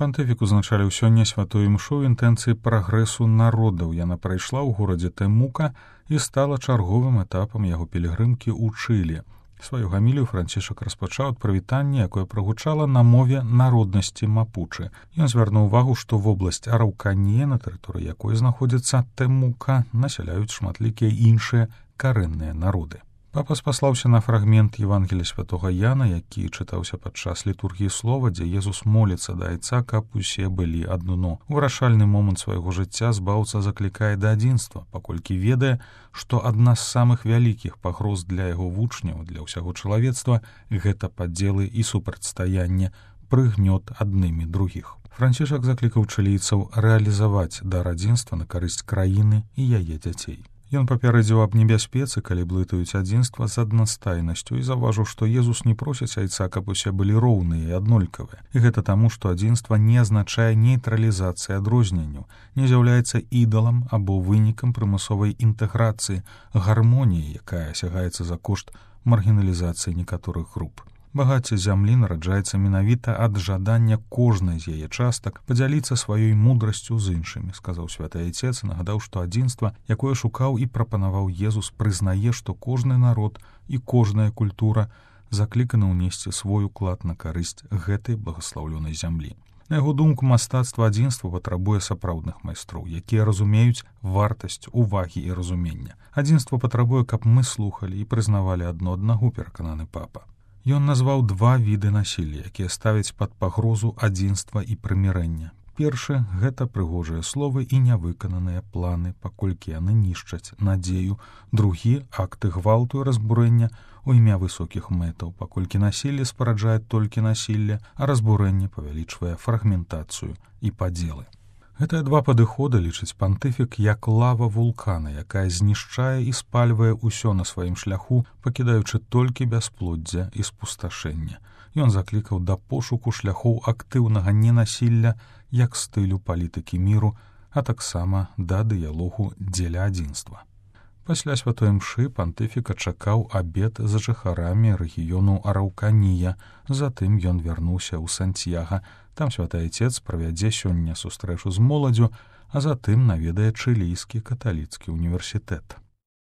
Пантыфік узначаліў сёння святую імшу інтэнцыі прагрэсу народаў. Яна прайшла ў горадзе Тэмука і стала чарговым этапам яго пілігрымкі ў Чылі. Сваю гамілію Францішак распачаў ад прывітання, якое прагучала на мове народнасці мапучы. Ён звярнуў увагу, што вобласць Араўканія, на тэрыторыі якой знаходзіцца Тэмука, насяляюць шматлікія іншыя карэнныя народы. Папа спаслаўся на фрагмент Евангелія святога Яна, які чытаўся падчас літургіі слова, дзе Езус моліцца да Айца, каб усе былі адно. У вырашальны момант свайго жыцця збаўца заклікае да адзінства, паколькі ведае, што адна з самых вялікіх пагроз для яго вучняў, для ўсяго чалавецтва — гэта падзелы і супрацьстаянне, прыгнёт аднымі другіх. Францішак заклікаў чылійцаў рэалізаваць дар адзінства на карысць краіны і яе дзяцей. Ён папярэдзіў аб небяспецы, калі блытаюць адзінства з аднастайнасцю, і заўважыў, што Езус не просіць Айца, каб усе былі роўныя і аднолькавыя. І гэта таму, што адзінства не азначае нейтралізацыі адрозненняў, не з'яўляецца ідалам або вынікам прымусовай інтэграцыі, гармоніі, якая асягаецца за кошт маргіналізацыі некаторых груп. Багацце зямлі нараджаецца менавіта ад жадання кожнай з яе частак падзяліцца сваёй мудрасцю з іншымі, сказаў святы Айцец, і нагадаў, што адзінства, якое шукаў і прапанаваў Езус, прызнае, што кожны народ і кожная культура закліканы ўнесці свой уклад на карысць гэтай благаслаўлёнай зямлі. На яго думку, мастацтва адзінства патрабуе сапраўдных майстроў, якія разумеюць вартасць увагі і разумення. Адзінства патрабуе, каб мы слухалі і прызнавалі адно аднаго, перакананы папа. Ён назваў два віды насілля, якія ставяць пад пагрозу адзінства і прымірэння. Першы — гэта прыгожыя словы і нявыкананыя планы, паколькі яны нішчаць надзею. Другі — акты гвалту і разбурэння у імя высокіх мэтаў, паколькі насілле спараджае толькі насілле, а разбурэнне павялічвае фрагментацыю і падзелы. Гэтыя два падыходы лічыць пантыфік як лава вулкана, якая знішчае і спальвае ўсё на сваім шляху, пакідаючы толькі бясплоддзе і спусташэнне. Ён заклікаў да пошуку шляхоў актыўнага ненасілля як стылю палітыкі міру, а таксама да дыялогу дзеля адзінства. Пасля святой імшы пантыфіка чакаў абед з жыхарамі рэгіёну Араўканія, затым ён вярнуўся ў Сантьяга. Там святы Айцец правядзе сёння сустрэчу з моладдзю, а затым наведае Чылійскі каталіцкі універсітэт.